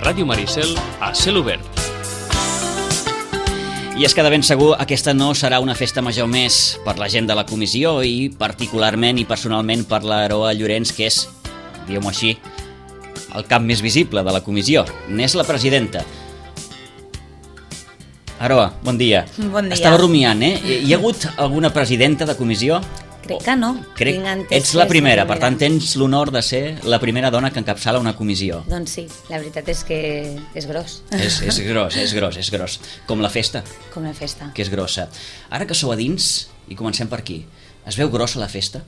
Ràdio Maricel a cel obert. I és que de ben segur aquesta no serà una festa major més per la gent de la comissió i particularment i personalment per l'Aroa Llorenç, que és, diguem-ho així, el cap més visible de la comissió. N'és la presidenta. Aroa, bon dia. Bon dia. Estava rumiant, Hi ha hagut alguna presidenta de comissió? Crec que no. Ets la primera, per tant tens l'honor de ser la primera dona que encapçala una comissió. Doncs sí, la veritat és que és gros. És gros. Com la festa. Com la festa. Que és grossa. Ara que sou a dins, i comencem per aquí, es veu grossa la festa?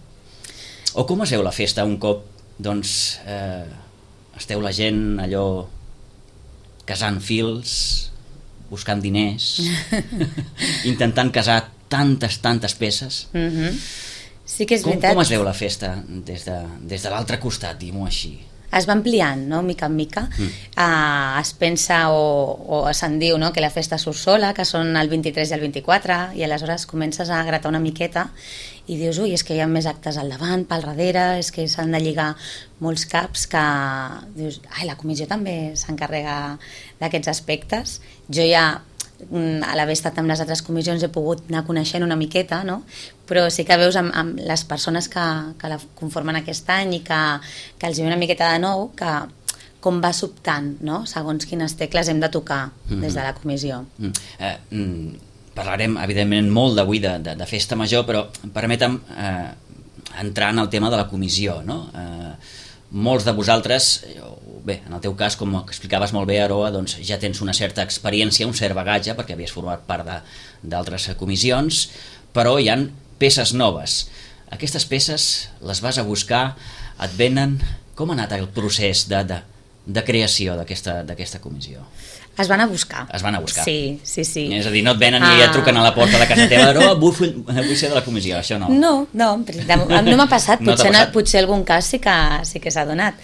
O com es veu la festa un cop, doncs, esteu la gent allò casant fils, buscant diners, intentant casar tantes peces? Sí que és veritat. Com es veu la festa des de l'altre costat, diguem-ho així? Es va ampliant, no?, mica en mica. Es pensa o se'n diu, no?, que la festa surt sola, que són el 23 i el 24, i aleshores comences a gratar una miqueta i dius, ui, és que hi ha més actes al davant, pel darrere, és que s'han de lligar molts caps que dius, ai, la comissió també s'encarrega d'aquests aspectes. Jo ja, a l'haver estat amb les altres comissions, he pogut anar coneixent una miqueta, no? Però sí que veus amb les persones que la conformen aquest any i que els hi ve una miqueta de nou, que com va sobtant, no?, segons quines tecles hem de tocar des de la comissió. Parlarem, evidentment, molt d'avui de festa major, però permetem entrar en el tema de la comissió, no? Molts de vosaltres, bé, en el teu cas, com explicaves molt bé, Aroa, doncs ja tens una certa experiència, un cert bagatge, perquè havies format part d'altres comissions, però hi han peces noves. Aquestes peces les vas a buscar, et venen... Com ha anat el procés de creació d'aquesta comissió? Es van a buscar. Es van a buscar. Sí. És a dir, no et venen i et truquen a la porta de casa teva, Aroa, vull ser de la comissió, això no. No m'ha passat, potser algun cas sí que s'ha donat.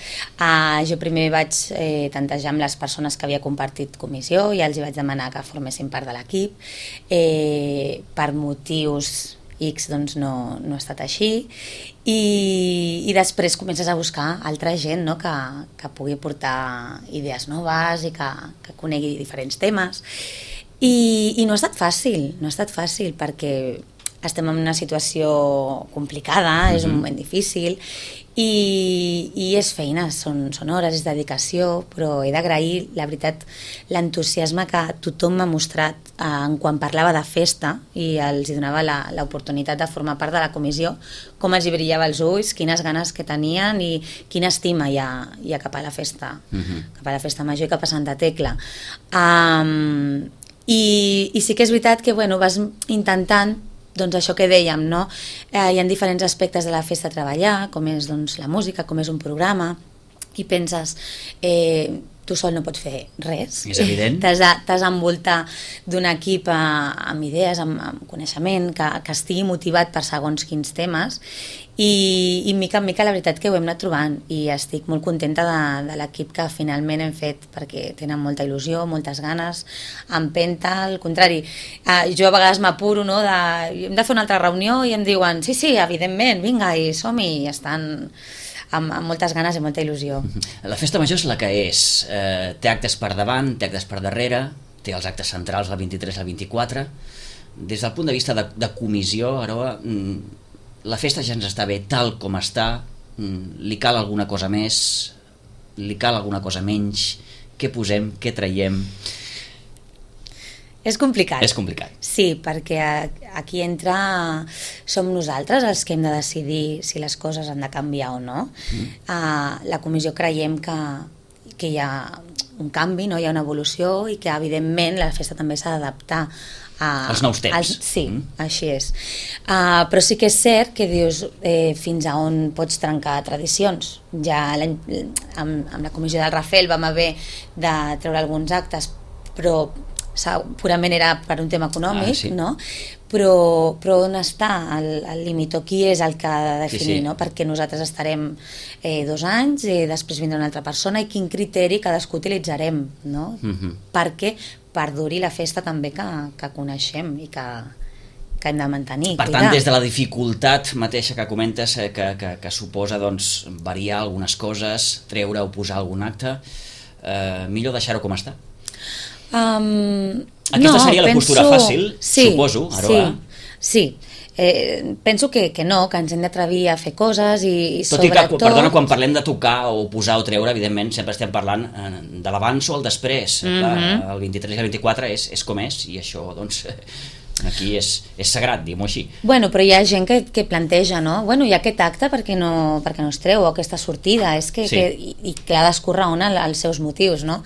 Jo primer vaig tantejar amb les persones que havia compartit comissió i els hi vaig demanar que formessin part de l'equip. Per motius X doncs no ha estat així, i després comences a buscar altra gent, no?, que pugui portar idees noves i que conegui diferents temes, i no ha estat fàcil perquè estem en una situació complicada, és un moment difícil i és feina, són hores, és dedicació, però he d'agrair, la veritat, l'entusiasme que tothom m'ha mostrat quan parlava de festa i els hi donava l'oportunitat de formar part de la comissió, com els hi brillava els ulls, quines ganes que tenien i quina estima hi ha cap a la festa, cap a la festa major i cap a Santa Tecla. I sí que és veritat que vas intentant, doncs això que dèiem, no? Hi ha diferents aspectes de la festa a treballar, com és doncs, la música, com és un programa, i penses, tu sol no pots fer res. És evident. T'has d'envoltar d'un equip amb idees, amb coneixement, que estigui motivat per segons quins temes, i mica en mica la veritat que ho hem anat trobant, i estic molt contenta de l'equip que finalment hem fet, perquè tenen molta il·lusió, moltes ganes, empenta, al contrari, jo a vegades m'apuro, no?, hem de fer una altra reunió i em diuen, sí, evidentment, vinga, i som-hi, i estan amb moltes ganes i molta il·lusió. La festa major és la que és, té actes per davant, té actes per darrere, té els actes centrals el 23 i el 24. Des del punt de vista de comissió, Aroa, la festa ja ens està bé tal com està, li cal alguna cosa més, li cal alguna cosa menys, què posem, què traiem? És complicat. És complicat. Sí, perquè aquí som nosaltres els que hem de decidir si les coses han de canviar o no. La comissió creiem que hi ha un canvi, no? Hi ha una evolució i que evidentment la festa també s'ha d'adaptar als nous temps. Sí, així és. Però sí que és cert que dius fins a on pots trencar tradicions. Ja amb la comissió del Rafel vam haver de treure alguns actes, però purament era per un tema econòmic, sí. No? Però on està el límit, o qui és el que ha de definir, sí. No? Perquè nosaltres estarem 2 anys i després vindrà una altra persona, i quin criteri cadascú utilitzarem, no? Perquè perduri la festa també que coneixem i que hem de mantenir. Per tant, des de la dificultat mateixa que comentes, que suposa doncs, variar algunes coses, treure o posar algun acte, millor deixar-ho com està? Aquesta seria la postura fàcil, suposo, Aroa. Sí. Penso que no, que ens hem d'atrevir a fer coses i tot sobretot... i que, perdona, quan parlem de tocar o posar o treure, evidentment sempre estem parlant de l'abans o el després. Clar, el 23 i el 24 és com és, i això doncs aquí és sagrat, diguem-ho així. Bueno, però hi ha gent que planteja, no? Bueno, hi ha aquest acte perquè no es treu, o aquesta sortida, és que ha d'escórrer els seus motius, no?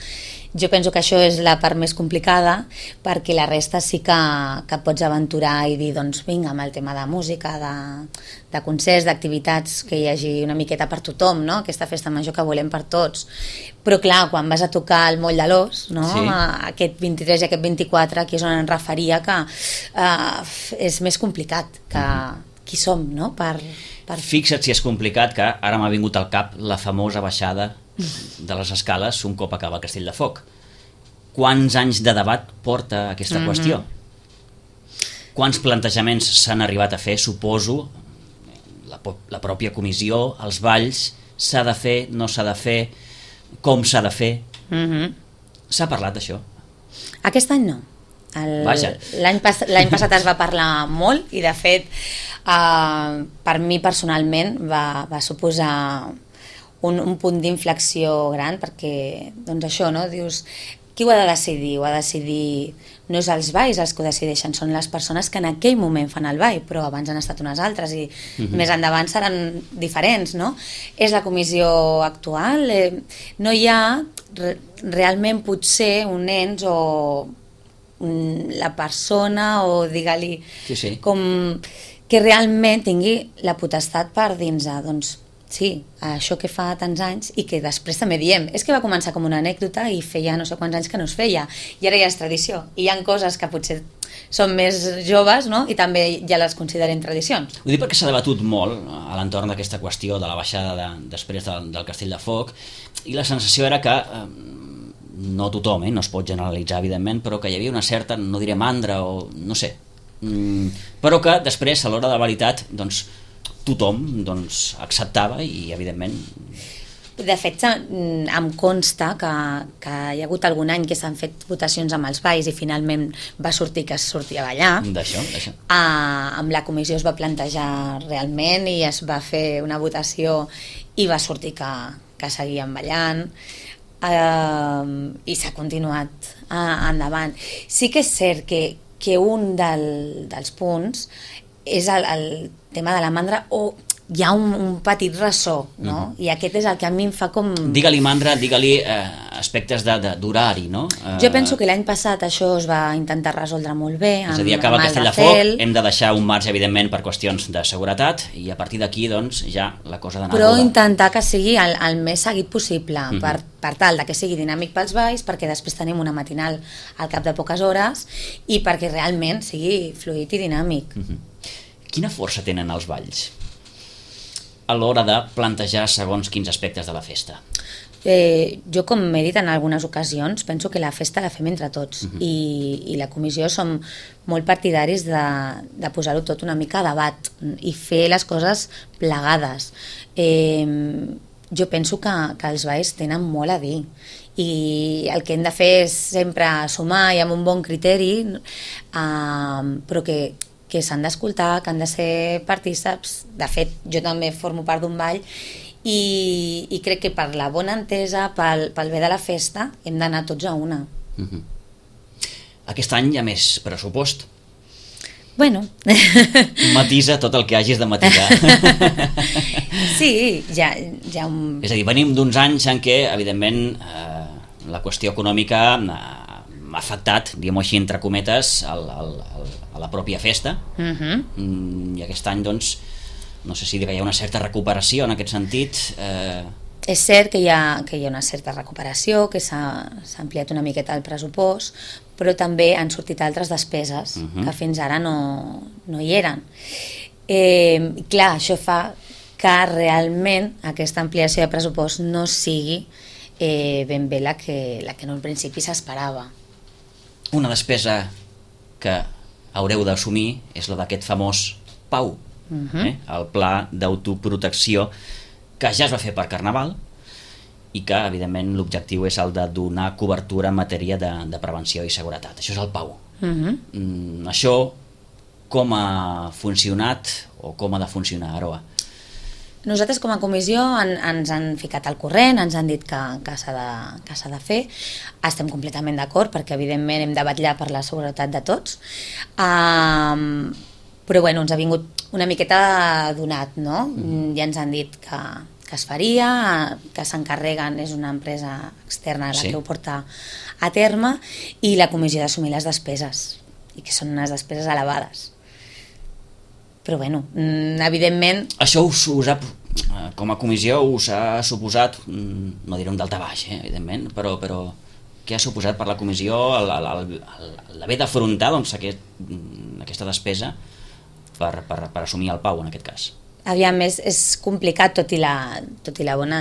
Jo penso que això és la part més complicada, perquè la resta sí que pots aventurar i dir, doncs vinga, amb el tema de música, de concerts, d'activitats, que hi hagi una miqueta per tothom, no? Aquesta festa major que volem per tots. Però clar, quan vas a tocar el Moll de l'Os, no? Sí. Aquest 23 i aquest 24, aquí és on em referia que és més complicat que qui som, no? Fixa't si és complicat, que ara m'ha vingut al cap la famosa baixada de les escales un cop acaba el Castell de Foc. Quants anys de debat porta aquesta qüestió? Quants plantejaments s'han arribat a fer? Suposo, la pròpia comissió, els balls, s'ha de fer, no s'ha de fer, com s'ha de fer? S'ha parlat d'això? Aquest any no. L'any passat es va parlar molt i de fet per mi personalment va suposar un punt d'inflexió gran, perquè doncs això, no? Dius, qui ho ha de decidir? Ho ha de decidir, no és els balls els que ho decideixen, són les persones que en aquell moment fan el ball, però abans han estat unes altres i més endavant seran diferents, no? És la comissió actual, no hi ha realment potser un ens o la persona o digue-li com que realment tingui la potestat per dins doncs sí, això que fa tants anys i que després també diem, és que va començar com una anècdota i feia no sé quants anys que no es feia i ara ja és tradició, i hi ha coses que potser són més joves, no? I també ja les considerem tradicions. Ho dic perquè s'ha debatut molt a l'entorn d'aquesta qüestió de la baixada després del Castell de Foc, i la sensació era que no tothom, no es pot generalitzar evidentment, però que hi havia una certa, no diré mandra o no sé, però que després a l'hora de la veritat doncs tothom acceptava i evidentment... De fet, em consta que hi ha hagut algun any que s'han fet votacions amb els balls i finalment va sortir que es sortia a ballar. D'això. Amb la comissió es va plantejar realment i es va fer una votació i va sortir que seguíem ballant i s'ha continuat endavant. Sí que és cert que un dels punts és el tema de la mandra, o hi ha un petit ressò, no? I aquest és el que a mi em fa com... Digue-li mandra, digue-li aspectes d'horari, no? Jo penso que l'any passat això es va intentar resoldre molt bé. És a dir, acaba el Castell de Foc, hem de deixar un marge, evidentment, per qüestions de seguretat, i a partir d'aquí, doncs, ja la cosa d'anar... Però intentar que sigui el més seguit possible, per tal que sigui dinàmic pels balls, perquè després tenim una matinal al cap de poques hores, i perquè realment sigui fluid i dinàmic. Quina força tenen els balls a l'hora de plantejar segons quins aspectes de la festa? Jo, com he dit en algunes ocasions, penso que la festa la fem entre tots i la comissió som molt partidaris de posar-ho tot una mica a debat i fer les coses plegades. Jo penso que els balls tenen molt a dir i el que hem de fer és sempre sumar i amb un bon criteri, però que s'han d'escoltar, que han de ser partícips. De fet, jo també formo part d'un ball i crec que per la bona entesa, pel bé de la festa, hem d'anar tots a una. Aquest any hi ha més pressupost. Bueno. Matisa tot el que hagis de matisar. Sí, ja... És a dir, venim d'uns anys en què, evidentment, la qüestió econòmica ha afectat, diguem-ho així, entre cometes, a la pròpia festa. I aquest any, doncs, no sé si hi ha una certa recuperació en aquest sentit. És cert que hi ha una certa recuperació, que s'ha ampliat una miqueta el pressupost, però també han sortit altres despeses que fins ara no hi eren. Clar, això fa que realment aquesta ampliació de pressupost no sigui ben bé la que en un principi s'esperava. Una despesa que haureu d'assumir és la d'aquest famós PAU, el Pla d'Autoprotecció, que ja es va fer per Carnaval i que, evidentment, l'objectiu és el de donar cobertura en matèria de prevenció i seguretat. Això és el PAU. Això com ha funcionat o com ha de funcionar, Aroa? Nosaltres com a comissió ens han ficat al corrent, ens han dit que s'ha de fer. Estem completament d'acord perquè evidentment hem de vetllar per la seguretat de tots. Però bueno, ens ha vingut una miqueta donat, no? Ja ens han dit que es faria, que s'encarreguen, és una empresa externa la que ho porta a terme, i la comissió d'assumir les despeses, i que són unes despeses elevades. Però bueno, evidentment... Això com a comissió us ha suposat, no diré un daltabaix, evidentment, però què ha suposat per la comissió l'haver d'afrontar aquesta despesa per assumir el PAU en aquest cas? Aviam, és complicat, tot i la bona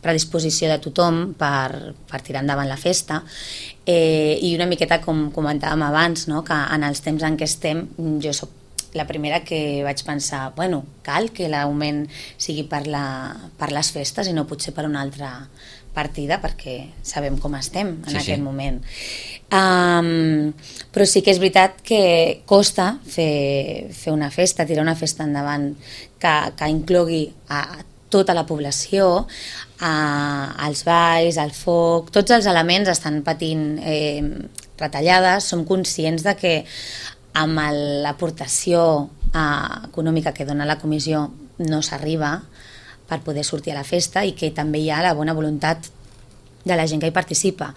predisposició de tothom per tirar endavant la festa, i una miqueta com comentàvem abans, no? Que en els temps en què estem, jo soc la primera que vaig pensar, bueno, cal que l'augment sigui per les festes i no potser per una altra partida, perquè sabem com estem en aquest moment. Però sí que és veritat que costa fer una festa, tirar una festa endavant que inclogui a tota la població, els balls, el foc, tots els elements estan patint retallades. Som conscients de que amb l'aportació econòmica que dona la comissió no s'arriba per poder sortir a la festa, i que també hi ha la bona voluntat de la gent que hi participa.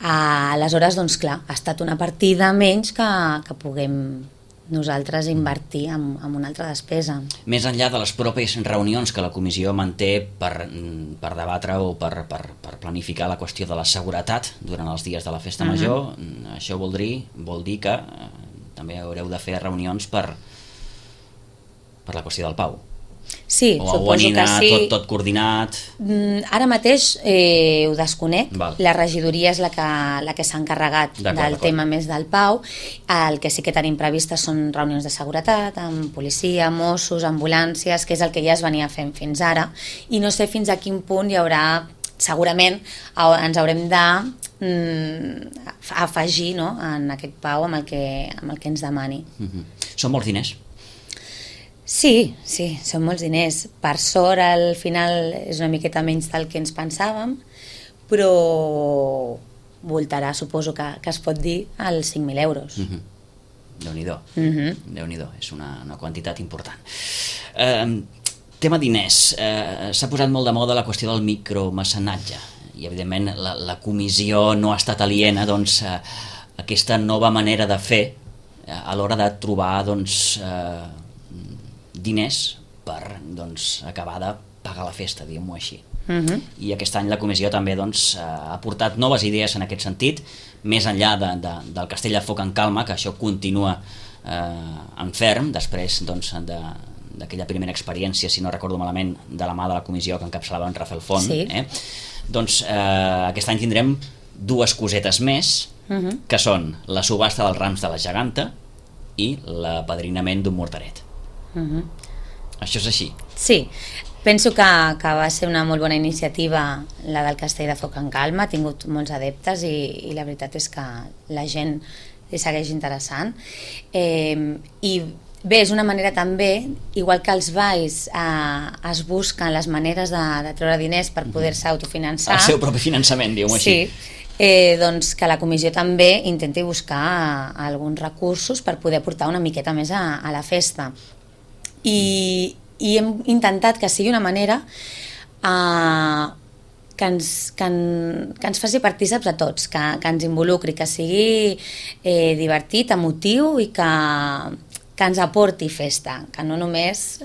Aleshores, doncs clar, ha estat una partida menys que puguem nosaltres invertir en una altra despesa. Més enllà de les pròpies reunions que la comissió manté per debatre o per planificar la qüestió de la seguretat durant els dies de la festa major, això vol dir que també haureu de fer reunions per la qüestió del PAU. Sí, suposo que sí. Tot coordinat? Ara mateix ho desconec. La regidoria és la que s'ha encarregat del tema més del PAU. El que sí que tenim previstes són reunions de seguretat amb policia, Mossos, ambulàncies, que és el que ja es venia fent fins ara, i no sé fins a quin punt hi haurà, segurament ens haurem d'afegir, no?, en aquest PAU amb el que ens demani. Són molts diners? Sí, són molts diners. Per sort, al final és una miqueta menys del que ens pensàvem, però voltarà, suposo que es pot dir, als 5.000 euros. Déu-n'hi-do. Déu-n'hi-do, és una quantitat important. Tema diners. S'ha posat molt de moda la qüestió del micromecenatge, i evidentment la comissió no ha estat aliena a aquesta nova manera de fer a l'hora de trobar diners per acabar de pagar la festa, diguem-ho així. I aquest any la comissió també ha aportat noves idees en aquest sentit, més enllà del Castell de Foc en Calma, que això continua en ferm, després d'aquella primera experiència, si no recordo malament, de la mà de la comissió que encapçalava en Rafael Font. Aquest any tindrem dues cosetes més, que són la subhasta dels rams de la geganta i l'apadrinament d'un mortaret. Això és així? Sí, penso que va ser una molt bona iniciativa la del Castell de Foc en Calma, ha tingut molts adeptes i la veritat és que la gent li segueix interessant, i bé, és una manera també, igual que els balls es busquen les maneres de treure diners per poder-se autofinançar, el seu propi finançament, diguem-ho així. Doncs que la comissió també intenti buscar alguns recursos per poder portar una miqueta més a la festa. I hem intentat que sigui una manera que ens faci partíceps a tots, que ens involucri, que sigui divertit, emotiu, i que ens aporti festa, que no només...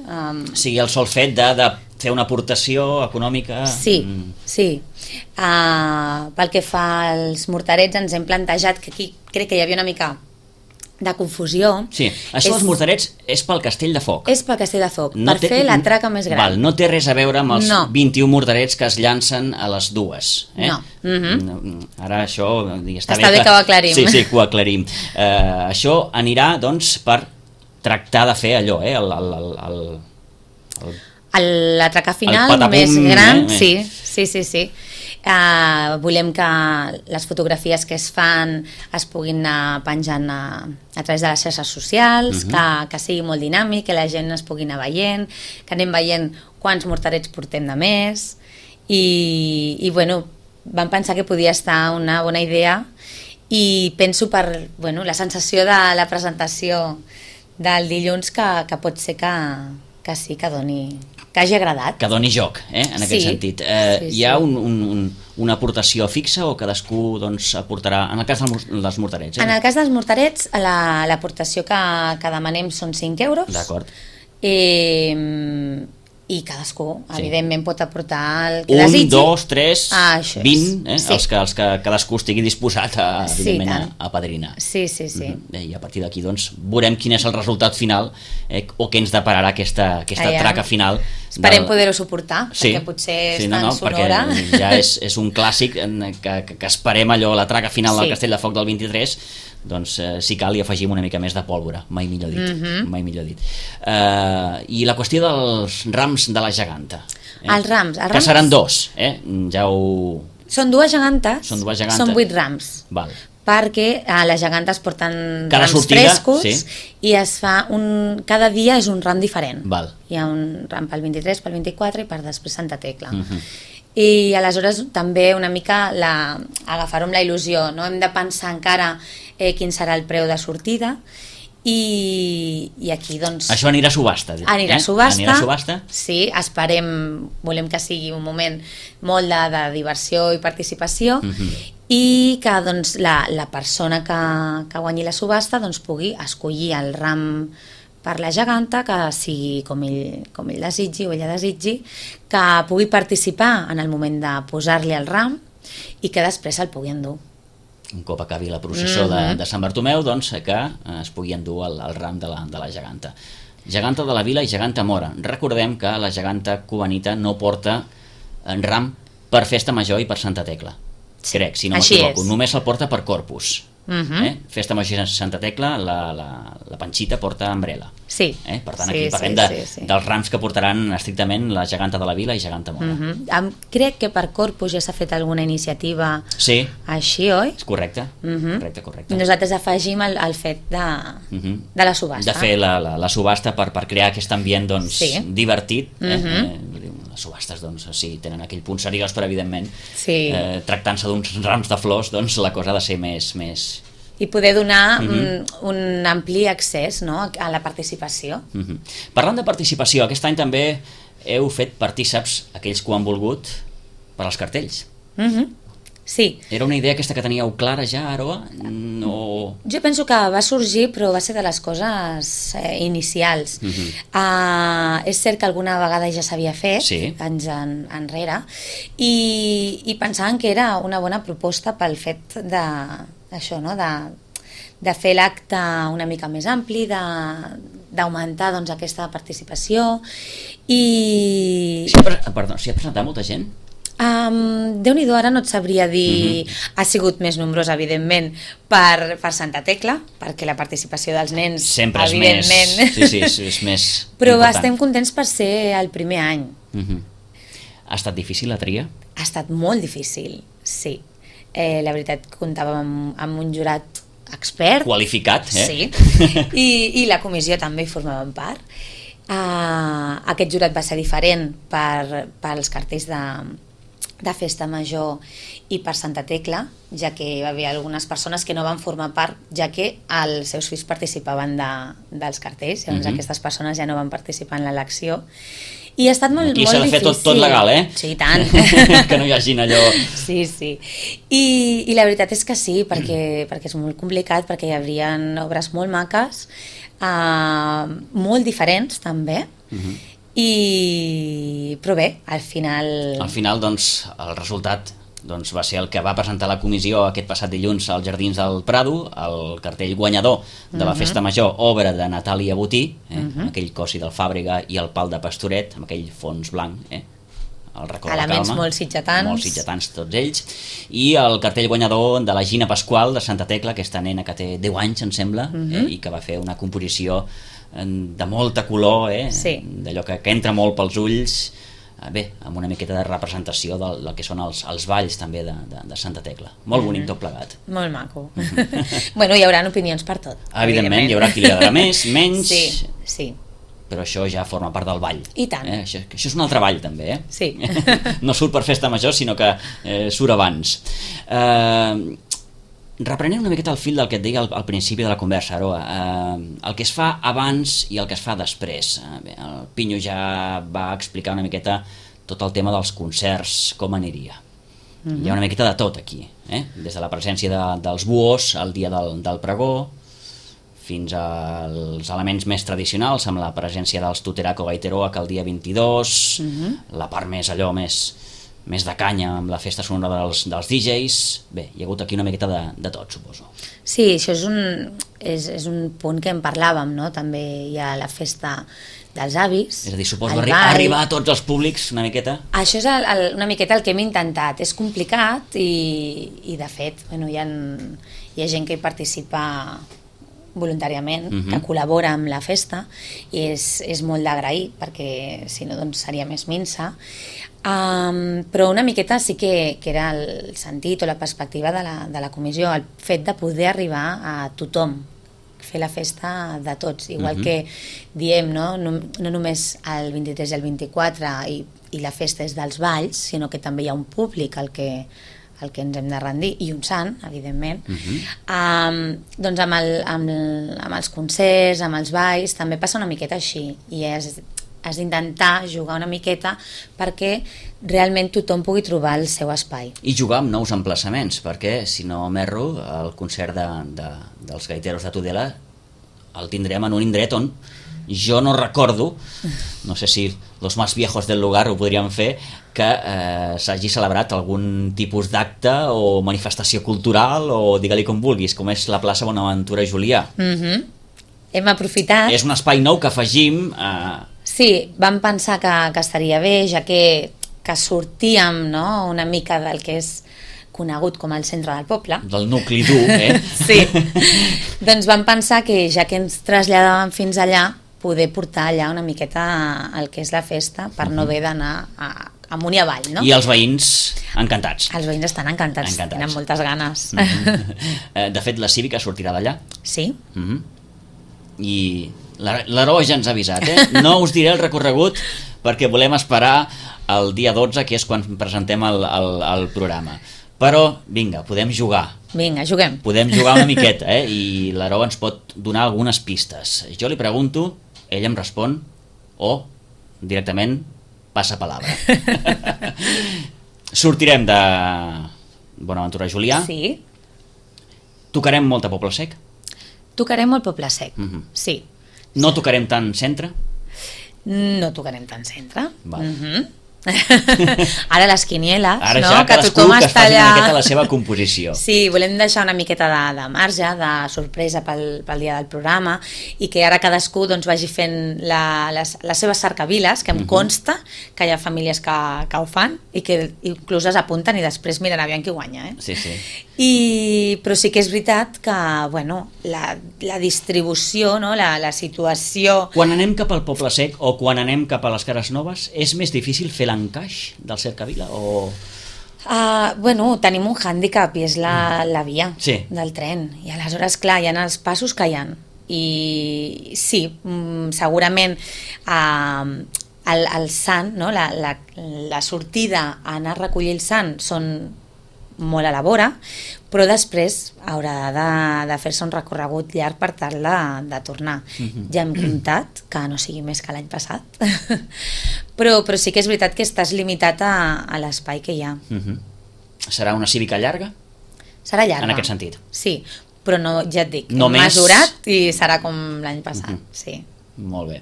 sigui el sol fet de fer una aportació econòmica... Sí. Pel que fa als morterets, ens hem plantejat que aquí crec que hi havia una mica de confusió. Sí, això dels morterets és pel Castell de Foc. És pel Castell de Foc, per fer la traca més gran. No té res a veure amb els 21 morterets que es llancen a les dues. No. Ara això... Està bé que ho aclarim. Sí, que ho aclarim. Això anirà, doncs, per tractar de fer allò, L'atracar final patapum, més gran, sí. Volem que les fotografies que es fan es puguin anar penjant a través de les xarxes socials, que sigui molt dinàmic, que la gent es pugui anar veient, que anem veient quants morterets portem de més, i bueno, vam pensar que podia estar una bona idea, i penso per la sensació de la presentació del dilluns que pot ser que sí, que hagi agradat. Que doni joc, en aquest sentit. Hi ha una aportació fixa o cadascú aportarà, en el cas dels morterets? En el cas dels morterets, l'aportació que demanem són 5 euros. D'acord. I cadascú, evidentment, pot aportar el que desitgi. 1, 2, 3, 20, sí. els que cadascú estigui disposat a padrinar. Sí. I a partir d'aquí veurem quin és el resultat final o què ens depararà aquesta traca final. Esperem poder-ho suportar, perquè potser és tan sonora. Perquè ja és un clàssic que esperem allò, la traca final del Castell de Foc del 23, doncs si cal hi afegim una mica més de pólvora, mai millor dit. I la qüestió dels rams de la geganta. Els rams. Que seran 2, Són dues gegantes, són 8 rams. Val. Perquè les gegantes porten cada rams sortida, frescos, i es fa cada dia és un ram diferent. Val. Hi ha un ram pel 23, pel 24 i per després Santa Tecla. I aleshores també una mica agafar-ho amb la il·lusió, no? Hem de pensar encara quin serà el preu de sortida, i aquí doncs... Això anirà a subhasta. Anirà a subhasta. Sí, volem que sigui un moment molt de diversió i participació, i que doncs, la persona que guanyi la subhasta doncs, pugui escollir el ram per la geganta, que sigui com ell desitgi o ella desitgi, que pugui participar en el moment de posar-li el ram i que després el pugui endur. Un cop acabi la processó de Sant Bartomeu, doncs que es pugui endur el ram de la geganta. Geganta de la Vila i geganta Mora. Recordem que la geganta cubanita no porta ram per Festa Major i per Santa Tecla. Crec, si no m'equivoco. Només el porta per Corpus. Festa Major i Santa Tecla, la Panxita porta Umbrella. Sí. Per tant, aquí parlem dels rams que portaran estrictament la geganta de la Vila i geganta Mora. Crec que per Corpus ja s'ha fet alguna iniciativa així, oi? Correcte. Correcte. Nosaltres afegim el fet de la subhasta. De fer la subhasta per crear aquest ambient divertit. Les subhastes tenen aquell punt seriós, però evidentment tractant-se d'uns rams de flors la cosa ha de ser més... I poder donar un ampli accés a la participació. Parlant de participació, aquest any també heu fet partíceps aquells que ho han volgut per als cartells. Sí. Era una idea aquesta que teníeu clara ja, Aroa? Jo penso que va sorgir, però va ser de les coses inicials. És cert que alguna vegada ja s'havia fet, anys enrere, i pensàvem que era una bona proposta pel fet d'això, de fer l'acte una mica més ampli, d'augmentar aquesta participació. S'hi ha presentat molta gent? Déu-n'hi-do, ara no et sabria dir. Ha sigut més nombrosa, evidentment, per Santa Tecla, perquè la participació dels nens sempre és evidentment és més però important. Estem contents per ser el primer any. Ha estat difícil la tria? Ha estat molt difícil, sí. La veritat, comptàvem amb un jurat expert, qualificat, sí, i la comissió també hi formaven part. Aquest jurat va ser diferent pels cartells de Festa Major i per Santa Tecla, ja que hi va haver algunes persones que no van formar part, ja que els seus fills participaven dels cartells, llavors aquestes persones ja no van participar en l'elecció, i ha estat molt difícil. Aquí s'ha de fer tot legal, Sí, i tant. Que no hi hagin allò... Sí. I la veritat és que sí, perquè és molt complicat, perquè hi haurien obres molt maques, molt diferents també, però bé, al final... Al final, doncs, el resultat va ser el que va presentar la comissió aquest passat dilluns als Jardins del Prado, el cartell guanyador de la Festa Major, obra de Natàlia Botí, aquell cossi del Fàbrega i el pal de Pastoret, amb aquell fons blanc, el racó de la elements calma, molt sitgetans. Molt sitgetans tots ells, i el cartell guanyador de la Gina Pasqual de Santa Tecla, aquesta nena que té 10 anys, em sembla, i que va fer una composició de molta color, Sí. d'allò que entra molt pels ulls, bé, amb una miqueta de representació del que són els balls també de Santa Tecla. Molt bonic tot plegat. Molt maco. Bueno, hi haurà opinions per tot. Evidentment, hi haurà qui li agradarà més, menys, Sí. però això ja forma part del ball. I tant. Això és un altre ball també, Sí. No surt per festa major, sinó que surt abans. Reprenent una miqueta el fil del que et deia al principi de la conversa, Aroa, el que es fa abans i el que es fa després. Bé, el Pinyo ja va explicar una miqueta tot el tema dels concerts, com aniria. Hi ha una miqueta de tot aquí, des de la presència dels buos el dia del pregó, fins als elements més tradicionals, amb la presència dels Tuteraco Gaiteroa, que el dia 22, la part més allò més de canya amb la festa sonora dels DJs. Bé, hi ha hagut aquí una miqueta de tot, suposo. Sí, això és un punt que en parlàvem, no? També hi ha la festa dels avis. És a dir, suposo arribar a tots els públics una miqueta. Això és una miqueta el que hem intentat. És complicat i de fet, bueno, hi ha gent que hi participa voluntàriament, que col·labora amb la festa, i és molt d'agrair, perquè si no doncs seria més minsa. Però una miqueta sí que era el sentit o la perspectiva de la comissió, el fet de poder arribar a tothom, fer la festa de tots, igual que diem, no només el 23 i el 24 i la festa és dels balls, sinó que també hi ha un públic al que ens hem de rendir, i un sant, evidentment. Doncs amb els concerts, amb els balls, també passa una miqueta així, i has d'intentar jugar una miqueta perquè realment tothom pugui trobar el seu espai. I jugar amb nous emplaçaments, perquè, si no m'erro, el concert dels gaiteros de Tudela el tindrem en un indret on jo no recordo, no sé si los más viejos del lugar ho podríem fer, que s'hagi celebrat algun tipus d'acte o manifestació cultural, o digue-li com vulguis, com és la plaça Bonaventura Julià. Hem aprofitat. És un espai nou que afegim. Sí, vam pensar que estaria bé, ja que sortíem, no?, una mica del que és conegut com el centre del poble. Del nucli dur, Sí. Doncs vam pensar que ja que ens traslladàvem fins allà, poder portar allà una miqueta el que és la festa, per no haver d'anar amunt i avall, no? I els veïns encantats. Els veïns estan encantats. Tenen moltes ganes. De fet, la cívica sortirà d'allà. Sí. I l'Aroa ja ens ha avisat, No us diré el recorregut perquè volem esperar el dia 12, que és quan presentem el programa. Però, vinga, podem jugar. Vinga, juguem. Podem jugar una miqueta, i l'Aroa ens pot donar algunes pistes. Jo li pregunto, ell em respon, o directament passa palabra. Sortirem de Bonaventura Julià. Sí. Tocarem molt a Poble Sec. Tocarem molt Poble Sec, sí. No tocarem tant centre? No tocarem tant centre. Ara les quinieles, ara no? Ja que tothom que està allà... una miqueta la seva composició. Sí, volem deixar una miqueta de marge, de sorpresa pel dia del programa, i que ara cadascú doncs, vagi fent les seves cercaviles, que em consta que hi ha famílies que ho fan i que inclús es apunten i després miren aviam qui guanya. Sí, sí. Però sí que és veritat que bueno, la distribució, no? la situació... Quan anem cap al Poble Sec o quan anem cap a les Cares Noves, és més difícil fer l'encaix del cercavila o... Bueno, tenim un hàndicap i és la via del tren, i aleshores clar, hi ha els passos que hi ha, i sí, segurament el sant, no? la sortida a anar a recollir el sant són molt a la vora, però després haurà de fer-se un recorregut llarg per tal de tornar. Ja hem comptat que no sigui més que l'any passat, però sí que és veritat que estàs limitat a l'espai que hi ha. Serà una cívica llarga? Serà llarga. En aquest sentit? Sí, però no, ja et dic, no hem mesurat i serà com l'any passat, sí. Molt bé.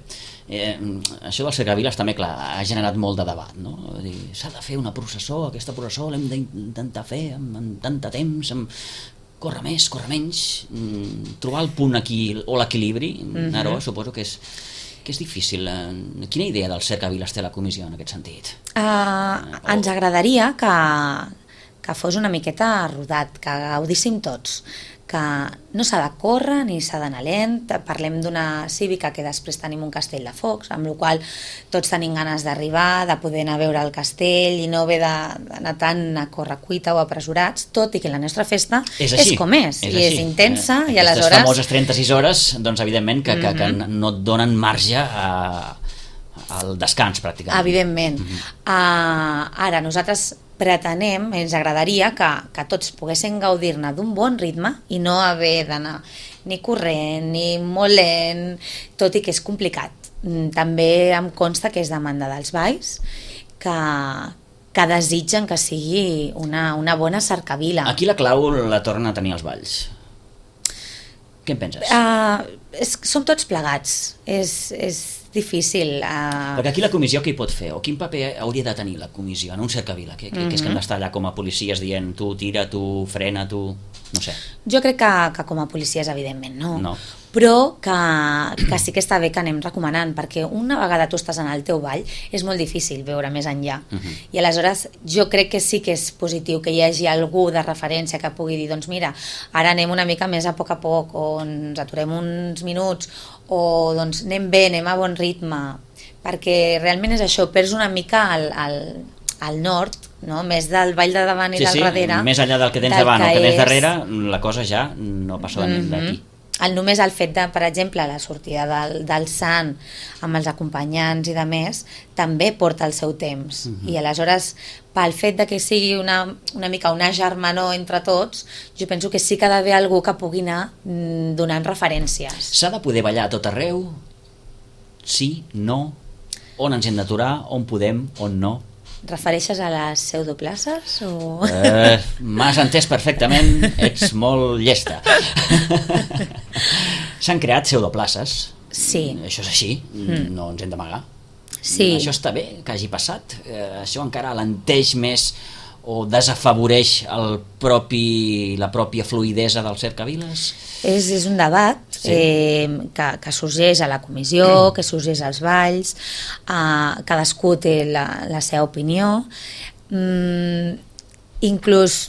Això dels cercaviles també, clar, ha generat molt de debat, no? S'ha de fer una processó, aquesta processó l'hem d'intentar fer en tant de temps, córrer més, córrer menys, trobar el punt aquí o l'equilibri. Aroa, suposo que és que és difícil. Quina idea del cercaviles té la comissió en aquest sentit? Ens agradaria que fos una miqueta rodat, que gaudíssim tots, que no s'ha de córrer ni s'ha d'anar lent. Parlem d'una cívica que després tenim un castell de focs, amb la qual tots tenim ganes d'arribar, de poder anar a veure el castell i no haver d'anar tant a correcuita o apresurats, tot i que la nostra festa és com és i és intensa. I aleshores... Aquestes famoses 36 hores, doncs evidentment que no et donen marge al descans pràcticament. Evidentment. Ara nosaltres pretenem, ens agradaria que tots poguessin gaudir-ne d'un bon ritme i no haver d'anar ni corrent ni molt lent, tot i que és complicat. També em consta que és demanda dels balls, que desitgen que sigui una bona cercavila. Aquí la clau la tornen a tenir els balls. Què en penses? Som tots plegats, és difícil. Perquè aquí la comissió què hi pot fer? O quin paper hauria de tenir la comissió en un cercavila? Que és que hem d'estar allà com a policies dient tu tira, tu frena, tu... no sé. Jo crec que com a policies evidentment no. Però que sí que està bé que anem recomanant, perquè una vegada tu estàs en el teu ball és molt difícil veure més enllà. I aleshores jo crec que sí que és positiu que hi hagi algú de referència que pugui dir, doncs mira, ara anem una mica més a poc, o ens aturem uns minuts, o doncs anem bé, anem a bon ritme, perquè realment és això, perds una mica al nord, no? Més del ball de davant i del darrere. Més enllà del que tens davant o que tens darrere, la cosa ja no passa d'aquí. Només el fet de, per exemple, la sortida del sant amb els acompanyants i de més, també porta el seu temps. I aleshores, pel fet de que sigui una mica una germanor entre tots, jo penso que sí que ha d'haver algú que pugui anar donant referències. S'ha de poder ballar a tot arreu? Sí? No? On ens hem d'aturar? On podem? On no? Refereixes a les pseudoplaces? M'has entès perfectament, ets molt llesta. S'han creat pseudoplaces. Sí. Això és així, no ens hem d'amagar. Sí. Això està bé que hagi passat. Això encara alenteix més o desafavoreix la pròpia fluïdesa del cercaviles? És un debat que sorgeix a la comissió, que sorgeix als balls, cadascú té la seva opinió, inclús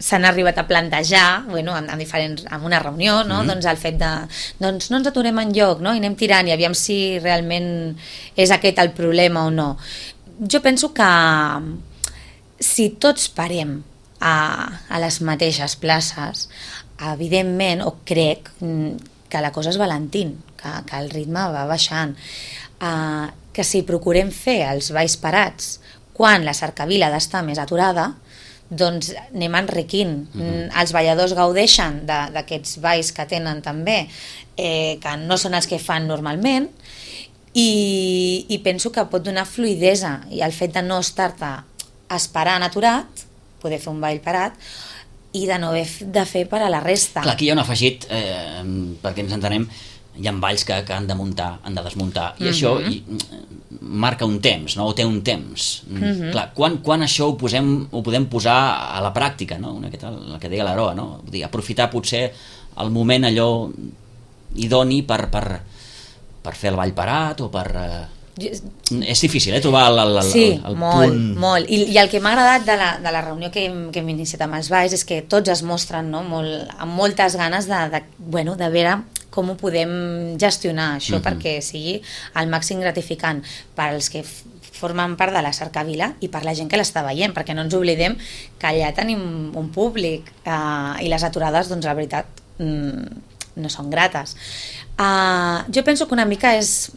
s'han arribat a plantejar en una reunió, no? Doncs el fet de no ens aturem enlloc, no? I anem tirant i aviam si realment és aquest el problema o no. Jo penso que si tots parem a les mateixes places, evidentment, o crec que la cosa es valentint, que el ritme va baixant, que si procurem fer els balls parats quan la cercavila ha d'estar més aturada, doncs anem enriquint. Els balladors gaudeixen d'aquests balls que tenen també, que no són els que fan normalment, i penso que pot donar fluïdesa, i el fet de no estar-te esperant aturat, poder fer un ball parat, i de no haver de fer per a la resta. Clar, aquí hi ha un afegit, perquè ens entenem, hi ha balls que han de muntar, han de desmuntar, i això marca un temps, no? O té un temps. Clar, quan això ho podem posar a la pràctica, no? El que deia l'Aroa, no? Vull dir, aprofitar potser el moment allò idoni per fer el ball parat o per... És difícil, trobar el punt... Molt. I el que m'ha agradat de la reunió que hem iniciat amb els balls és que tots es mostren, no? Amb moltes ganes de veure com ho podem gestionar això perquè sigui el màxim gratificant per als que formen part de la cercavila i per la gent que l'està veient, perquè no ens oblidem que allà tenim un públic i les aturades, doncs la veritat, no són grates. Jo penso que una mica és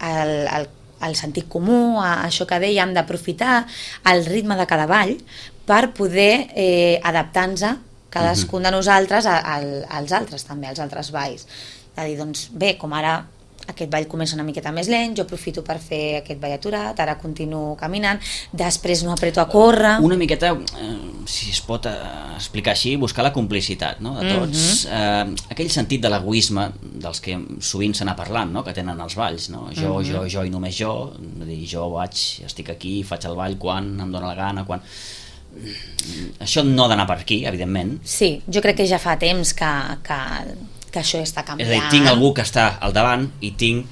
el sentit comú, això que dèiem, d'aprofitar el ritme de cada ball per poder adaptar-nos cadascun de nosaltres als altres també, als altres balls. De dir, doncs bé, com ara aquest ball comença una miqueta més lent, jo aprofito per fer aquest ball aturat, ara continuo caminant, després no apreto a córrer... Una miqueta, si es pot explicar així, buscar la complicitat, no?, de tots. Aquell sentit de l'egoisme dels que sovint se n'ha parlat, no?, que tenen els balls, no? Jo i només jo, dir, jo estic aquí, faig el ball quan em dóna la gana, quan... Això no ha d'anar per aquí, evidentment. Sí, jo crec que ja fa temps que això està canviant. És a dir, tinc algú que està al davant i tinc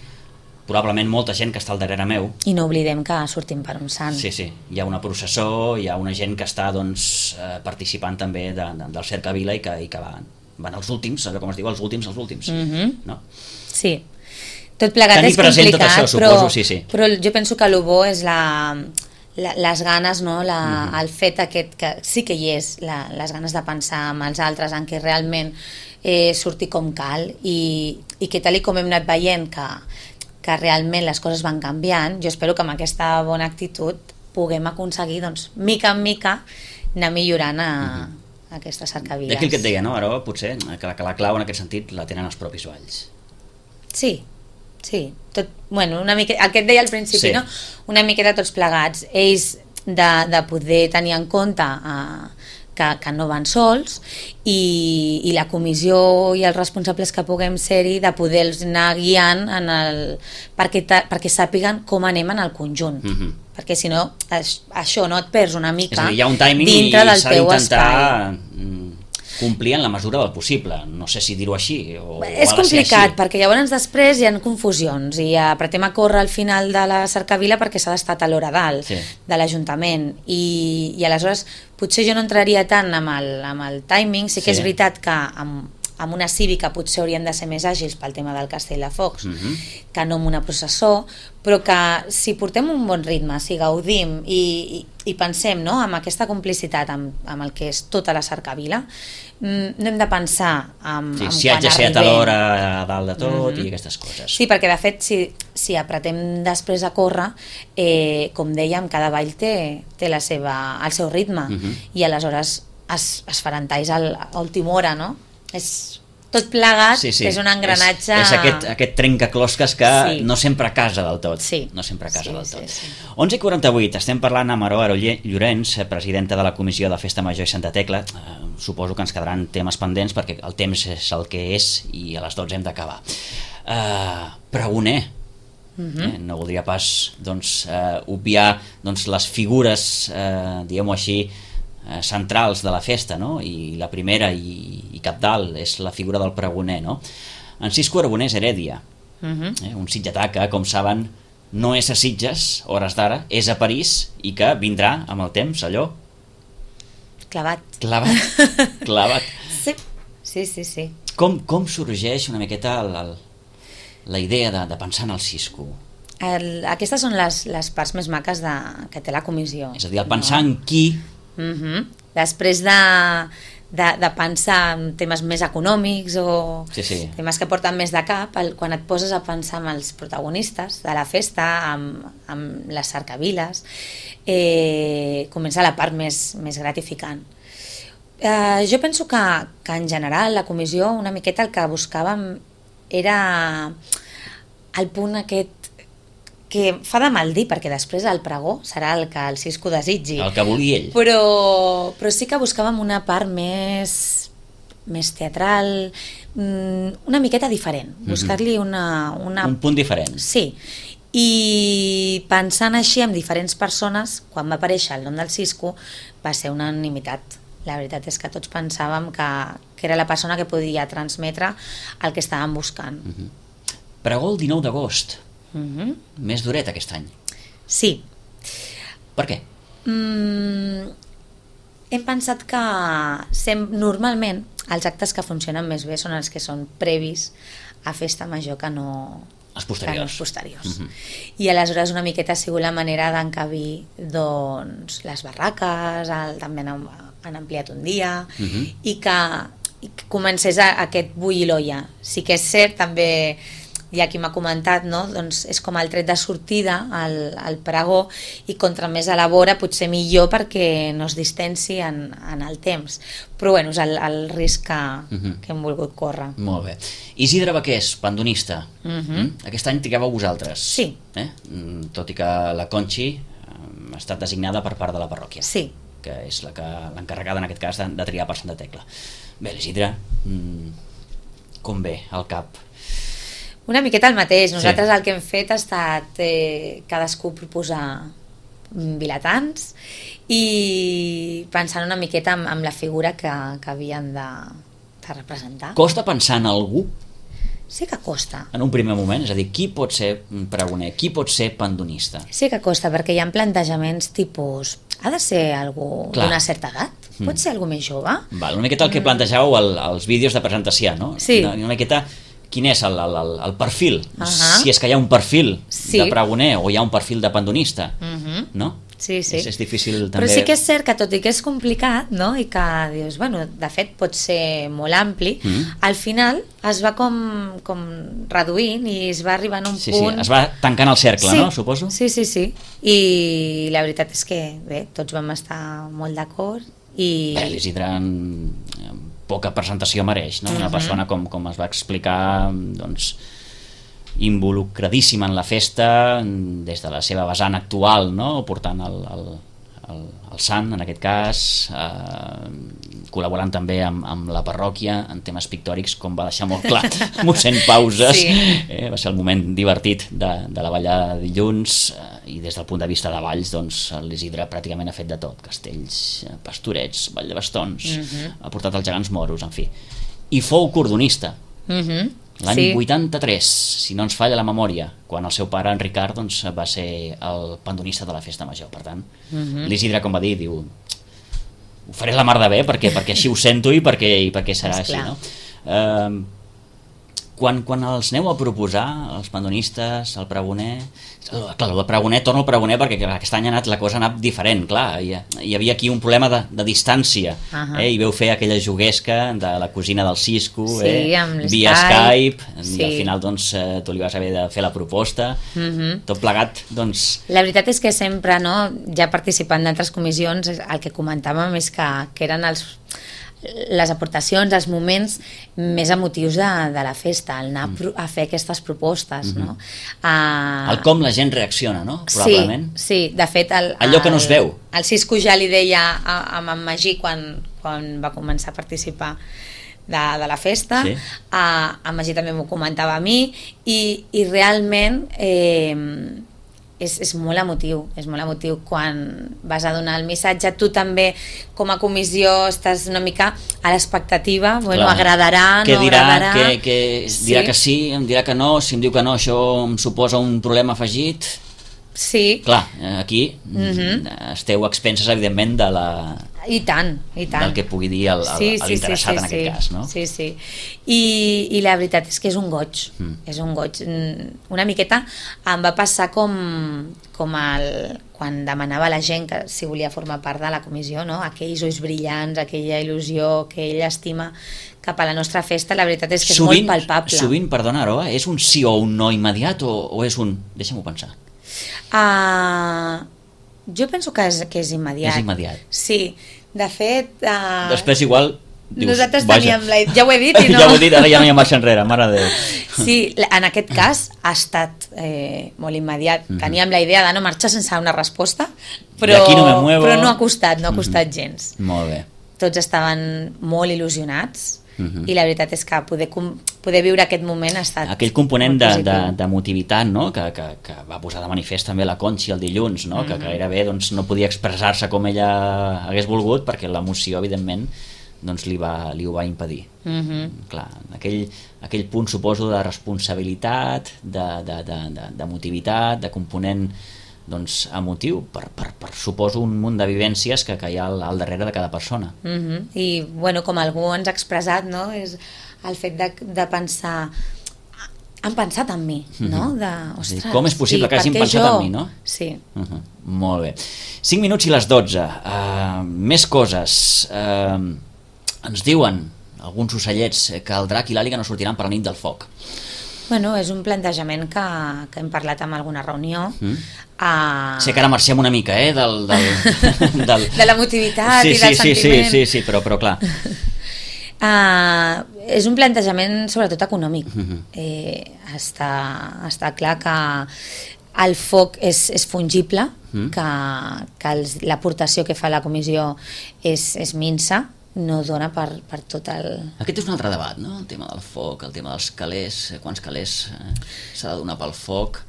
probablement molta gent que està al darrere meu. I no oblidem que sortim per un sant. Sí, hi ha una processó, hi ha una gent que està participant també del Cercavila i que van els últims, com es diu, els últims, no? Sí, tot plegat tenir és complicat, tot això, suposo, sí. Però jo penso que el bo és les ganes, no? El fet aquest que sí que hi és, les ganes de pensar amb els altres, en què realment surti com cal i que tal com hem anat veient que realment les coses van canviant, jo espero que amb aquesta bona actitud puguem aconseguir, doncs, mica en mica, anar millorant aquestes cercaviles. D'aquí el que et deia, no? Ara potser que la clau en aquest sentit la tenen els propis balls. Sí, tot, bueno, una miqueta, el que et deia al principi, sí. No? Una miqueta tots plegats, ells de poder tenir en compte que no van sols i la comissió i els responsables que puguem ser-hi de poder-los anar guiant perquè sàpiguen com anem en el conjunt, perquè si no això no et perds una mica hi ha un timing dintre del teu espai. Complir en la mesura del possible, no sé si dir-ho així és complicat, perquè llavors després hi ha confusions i apretem a córrer al final de la cercavila perquè s'ha d'estar a l'hora dalt de l'Ajuntament i aleshores potser jo no entraria tant amb el timing, sí que és veritat que amb una cívica potser haurien de ser més àgils pel tema del Castell de Focs que no amb una processó, però que si portem un bon ritme, si gaudim i pensem, no?, amb aquesta complicitat amb el que és tota la cercavila, no hem de pensar si haig de ser a tal hora a dalt de tot i aquestes coses. Sí, perquè de fet si apretem després a córrer, com dèiem, cada ball té el seu ritme i aleshores es faran talls a l'última hora, no? És tot plegat, és un engranatge... És aquest trencaclosques que no sempre casa del tot. No sempre casa del tot. 11:48, estem parlant amb Aroa Llorenç, presidenta de la Comissió de Festa Major i Santa Tecla. Suposo que ens quedaran temes pendents perquè el temps és el que és i a les 12 hem d'acabar. Pregoner. No voldria pas obviar les figures, diguem-ho així, centrals de la festa, no? I la primera i capdalt és la figura del pregoner, no? En Cisco Arbonès Heredia, un sitgetà que, com saben, no és a Sitges, hores d'ara, és a París i que vindrà amb el temps, allò... Clavat. Sí. Com sorgeix una miqueta la idea de pensar en el Cisco? Aquestes són les parts més maques que té la comissió. És a dir, el pensar en qui... Després de pensar en temes més econòmics o temes que porten més de cap, quan et poses a pensar en els protagonistes de la festa, amb les cercaviles, comença la part més gratificant. Jo penso que en general la comissió una miqueta el que buscàvem era el punt aquest que fa de mal dir, perquè després el pregó serà el que el Cisco desitgi. El que vulgui ell. Però sí que buscàvem una part més teatral, una miqueta diferent, buscar-li un punt diferent. Sí, i pensant així amb diferents persones, quan va aparèixer el nom del Cisco, va ser una unanimitat. La veritat és que tots pensàvem que era la persona que podia transmetre el que estàvem buscant. Pregó el 19 d'agost. Més duret aquest any. Sí. Per què? Hem pensat que normalment els actes que funcionen més bé són els que són previs a festa major que no els posteriors. I aleshores una miqueta ha sigut la manera d'encabir les barraques, també han ampliat un dia i que comencés aquest bull i l'olla. Sí que és cert, també hi ha qui m'ha comentat, no? Doncs és com el tret de sortida al pregó i contra més elabora potser millor perquè no es distensi en el temps, però bueno, és el risc que hem volgut córrer. Molt bé. Isidre Baqués, pandonista, aquest any trigueu vosaltres. Sí. Tot i que la Conchi ha estat designada per part de la parròquia, que és l'encarregada en aquest cas de triar per Santa Tecla. Bé, l'Isidre, com ve al cap? Una miqueta el mateix. Nosaltres el que hem fet ha estat cadascú proposar vilatans i pensant una miqueta en la figura que havien de representar. Costa pensar en algú? sí que costa. En un primer moment, és a dir, qui pot ser pregoner, qui pot ser pandonista? Sí que costa, perquè hi ha plantejaments tipus, ha de ser algú d'una certa edat? Pot ser algú més jove? Val, una miqueta el que plantejàveu als vídeos de presentació, no? Sí. Una miqueta quin és el perfil, si és que hi ha un perfil de pregoner o hi ha un perfil de pandonista, no? Sí. És difícil també... Però sí que és cert que tot i que és complicat, no? I que dius, bueno, de fet pot ser molt ampli, al final es va com reduint i es va arribant a un punt... Sí, es va tancant el cercle, no? Suposo? Sí. I la veritat és que, bé, tots vam estar molt d'acord i... Bé, l'Isidre poca presentació mereix, no? Una persona com es va explicar, doncs, involucradíssima en la festa des de la seva vessant actual, no? Portant el sant, en aquest cas, col·laborant també amb la parròquia en temes pictòrics, com va deixar molt clar mossèn Pauses. Va ser el moment divertit de la ballada de dilluns, i des del punt de vista de balls, doncs l'Isidre pràcticament ha fet de tot: castells, pastorets, ball de bastons, ha portat els gegants moros, en fi, i fou cordonista l'any 83, si no ens falla la memòria, quan el seu pare, en Ricard, doncs, va ser el pandonista de la festa major. Per tant, l'Isidre, com va dir, diu, ho faré la mar de bé perquè així ho sento i perquè serà així, no? Quan els aneu a proposar, els pandonistes, el pregoner... Clar, el pregoner, torno al pregoner perquè aquest any la cosa ha anat diferent, clar, hi havia aquí un problema de distància, i veu fer aquella juguesca de la cosina del Cisco, via Skype, i al final doncs tu li vas haver de fer la proposta, tot plegat, doncs... La veritat és que sempre, no, ja participant d'altres comissions, el que comentàvem és que eren les aportacions, els moments més emotius de la festa, el anar a fer aquestes propostes, no? El com la gent reacciona, no? Probablement. Sí, de fet... Allò que no es veu. El Cisco ja li deia a en Magí quan va començar a participar de la festa, en Magí també m'ho comentava a mi, i realment... és molt emotiu quan vas a donar el missatge. Tu també, com a comissió, estàs una mica a l'expectativa, bueno, agradarà, no agradarà... Què dirà que sí, em dirà que no, si em diu que no, això em suposa un problema afegit... Sí. Clar, aquí esteu expenses, evidentment, de la... I tant. Del que pugui dir l'interessat en aquest cas, no? Sí. I la veritat és que és un goig. És un goig. Una miqueta em va passar com quan demanava la gent que si volia formar part de la comissió, no? Aquells ulls brillants, aquella il·lusió, aquella estima cap a la nostra festa, la veritat és que és molt palpable. Sovint, perdona, Aroa, és un sí o un no immediat o és un... Deixa'm-ho pensar. Jo penso que és immediat. És immediat. Sí, de fet... Després igual... Dius, nosaltres teníem la... Ja ho he dit i no... Ja ho he dit, ara ja no hi ha marxa enrere, mare de Déu. Sí, en aquest cas ha estat molt immediat. Teníem la idea de no marxar sense una resposta, però no ha costat gens. Molt bé. Tots estaven molt il·lusionats, i la veritat és que poder viure aquest moment ha estat aquell component d'emotivitat, no? que va posar de manifest també la Conxi el dilluns, no? Que gairebé doncs, no podia expressar-se com ella hagués volgut perquè l'emoció evidentment doncs, li ho va impedir. Clar, aquell punt suposo de responsabilitat, d'emotivitat, de component doncs, emotiu, per suposo un munt de vivències que hi ha al darrere de cada persona. I bueno, com algú ens ha expressat, no? És el fet de pensar, han pensat en mi, no? Ostres, com és possible que hagin pensat en mi, no? Sí. Molt bé. 5 minuts i les 12. Més coses. Ens diuen alguns ocellets que el drac i l'àliga no sortiran per la nit del foc. Bueno, és un plantejament que hem parlat en alguna reunió. Sé que ara marxem una mica, de l'emotivitat i del sentiment. Sí, però clar. És un plantejament sobretot econòmic. Està clar que el foc és fungible, que l'aportació que fa la comissió és minsa, no dona per tot el... Aquest és un altre debat, no? El tema del foc, el tema dels calés, quants calés s'ha de donar pel foc...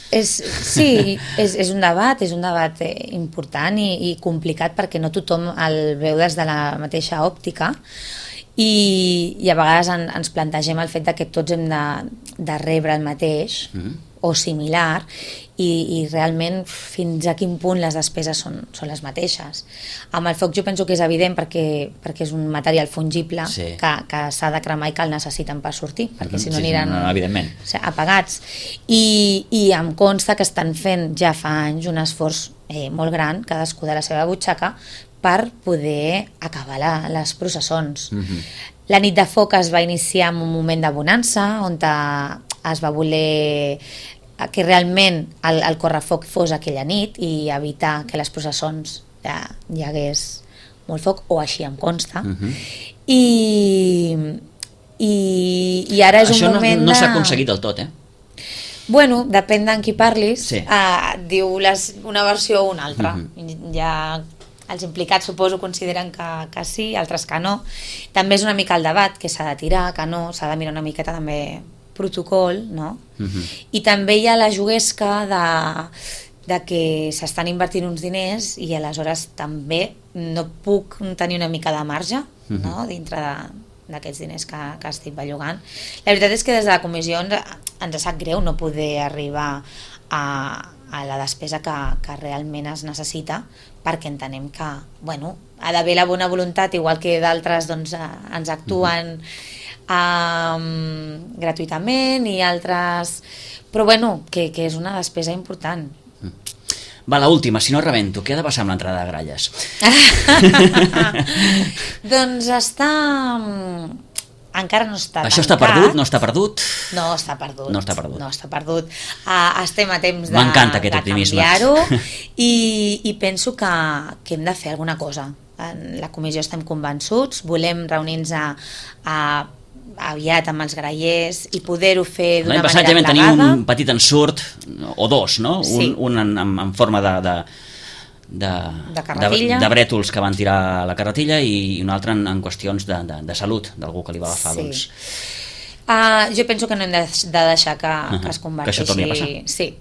Sí, és un debat important i complicat perquè no tothom el veu des de la mateixa òptica i a vegades ens plantegem el fet de que tots hem de rebre el mateix o similar i realment fins a quin punt les despeses són les mateixes. Amb el foc jo penso que és evident perquè és un material fungible que s'ha de cremar i que el necessiten per sortir, perquè si no aniran apagats. I em consta que estan fent ja fa anys un esforç molt gran, cadascú de la seva butxaca, per poder acabar les processons. La nit de foc es va iniciar en un moment de bonança, on es va voler que realment el correfoc fos aquella nit i evitar que les processons hi hagués molt foc, o així em consta. I ara és un moment no s'ha aconseguit del tot, Bueno, depèn d'en qui parlis, diu una versió o una altra. Ja els implicats suposo consideren que sí, altres que no. També és una mica el debat, que s'ha de tirar, que no, s'ha de mirar una miqueta també protocol, no? I també hi ha la juguesca de que s'estan invertint uns diners i aleshores també no puc tenir una mica de marge, no? Dintre d'aquests diners que estic bellugant. La veritat és que des de la comissió ens sap greu no poder arribar a la despesa que realment es necessita, perquè entenem que ha d'haver la bona voluntat, igual que d'altres ens actuen gratuïtament i altres, però que és una despesa important. Va, l'última, si no rebento, què ha de passar amb l'entrada de gralles? Doncs encara no està tancat. Això està perdut? No està perdut? No està perdut. No està perdut. No està perdut. Estem a temps de canviar-ho i penso que hem de fer alguna cosa. En la comissió estem convençuts, volem reunir-nos aviat amb els grallers i poder-ho fer d'una manera plegada. L'any passat ja vam tenir un petit ensurt, o dos, no? Sí. Un en forma de brètols que van tirar la carretilla i un altre en qüestions de salut, d'algú que li va agafar. Jo penso que no hem de deixar que es converteixi. Que això torni a passar. Sí,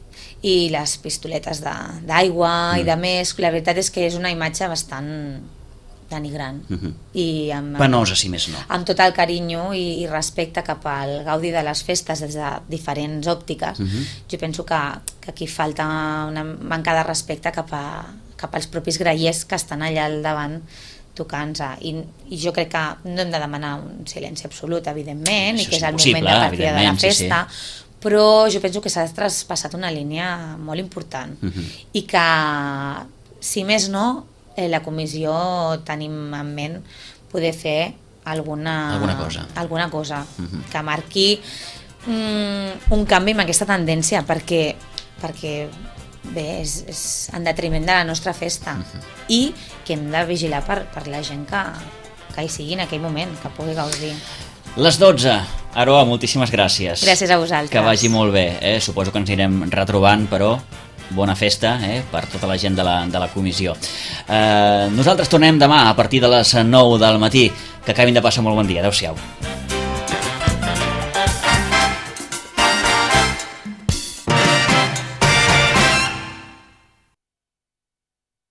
i les pistoletes d'aigua i de més, la veritat és que és una imatge bastant denigrant i penosa, si més no, amb tot el carinyo i respecte cap al gaudi de les festes des de diferents òptiques. Jo penso que aquí falta una manca de respecte cap als propis grallers que estan allà al davant tocant-se, i jo crec que no hem de demanar un silenci absolut, evidentment, i que és el moment de partida de la festa, però jo penso que s'ha traspassat una línia molt important i que, si més no, la comissió tenim en ment poder fer alguna cosa que marqui un canvi en aquesta tendència, perquè bé, és en detriment de la nostra festa i que hem de vigilar per la gent que hi sigui en aquell moment, que pugui gaudir. Les 12. Aroa, moltíssimes gràcies. Gràcies a vosaltres. Que vagi molt bé, suposo que ens anirem retrobant, però bona festa per tota la gent de la comissió. Nosaltres tornem demà a partir de les 9 del matí. Que acabin de passar molt bon dia. Adéu-siau.